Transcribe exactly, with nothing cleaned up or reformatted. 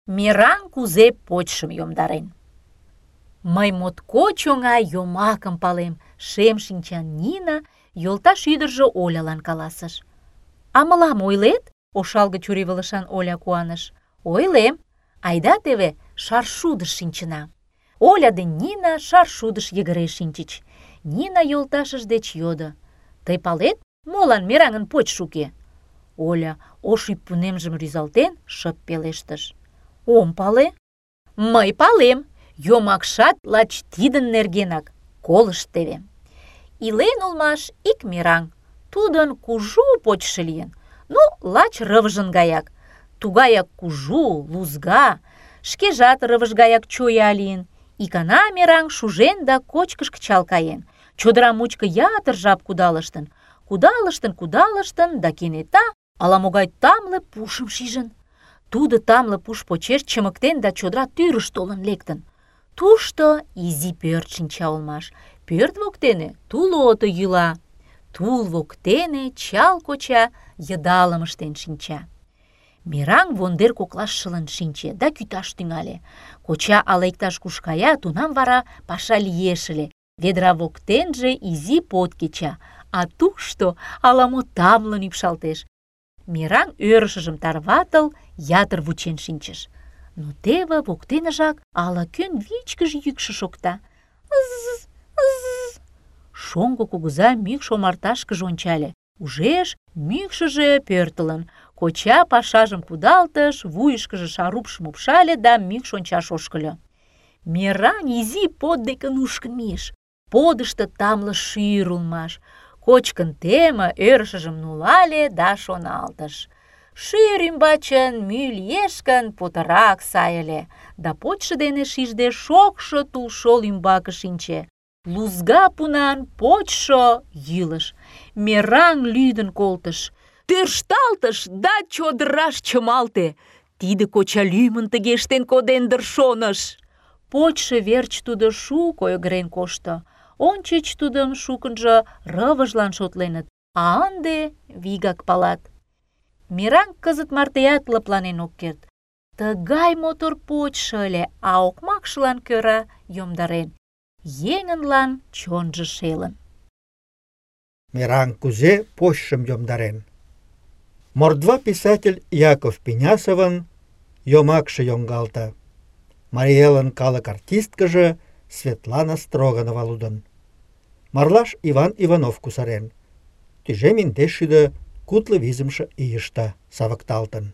Мераҥ кузе почшым йомдарен. Мый моткоч оҥай йомакым палем, шем шинчан Нина йолташ ӱдыржӧ Олялан каласыш. А мылам ойлет? Ошалге чурийвылышан Оля куаныш. Ойлем. Айда теве шаршудыш шинчына. Оля ден Нина шаршудыш йыгыре шинчыч. Нина йолташыж деч йодо: «Тый палет, молан мераҥын почшо уке?» Оля, ош ӱппунемжым рӱзалтен, шып пелештыш: «Ом пале». «Мый палем. Йомакшат лач тидын нергенак. Колышт теве. Илен улмаш ик мераҥ. Тудын кужу почшо лийын. Ну, лач рывыжын гаяк. Тугаяк кужу, лузга, шкежат рывыж гаяк чоя лийын. Икана мераҥ шужен да кочкыш кычал каен. Чодыра мучко ятыр жап кудалыштын. Кудалыштын, кудалыштын, да кенета ала-могай тамле пушым шижын. Тудо тамле пуш почеш чымыктен да чодыра тӱрыш толын лектын. Тушто изи пӧрт шинча улмаш. Пӧрт воктене тул ото йӱла. Тул воктене чал коча йыдалым ыштен шинча. Мераҥ вондер коклаш шылын шинче да кӱташ тӱҥале. Коча ала иктаж-куш кая, тунам вара паша лиеш ыле. Ведра воктенже изи под кеча, а тушто ала-мо тамлын ӱпшалтеш. Мераҥ ӧрышыжым тарватыл, ятыр вучен шинчыш. Но теве воктенжак ала-кӧн вичкыж йӱкшӧ шокта. Ыз-з, ыз-з. Шоҥго кугыза мӱкш омарташкыже ончале. Ужеш, мӱкшыжӧ пӧртылын. Коча пашажым кудалтыш, вуйышкыжо шарупшым упшале да мӱкш ончаш ошкыльо. Мераҥ изи под деке нушкын мийыш. Подышто тамле шӱр улмаш. Кочкын теме, ӧрышыжым нулале да шоналтыш: шӱр ӱмбачын мӱй лиеш гын, путырак сай ыле. Да почшо дене шижде шокшо тулшол ӱмбаке шинче. Лузга пунан почшо йӱлыш. Мераҥ лӱдын колтыш. Тӧршталтыш да чодыраш чымалте. Тиде коча лӱмын тыге ыштен коден дыр, шоныш. Почшо верч тудо шуко ойгырен кошто. Ончыч тудым шукынжо рывыжлан шотленыт, а ынде вигак палат. Мераҥ кызыт мартеат лыпланен ок керт. Тыгай мотор почшо ыле, а окмакшылан кӧра йомдарен. Еҥынлан чонжо шелын. Мераҥ кузе почшым йомдарен. Мордва писатель Яков Пенясовын йомакше йоҥгалте. Марий Элын калык артисткыже Светлана Строганова лудын. Марлаш Иван Иванов кусарен. Тӱжем индеш шӱдӧ кудло визымше ийыште савыкталтын.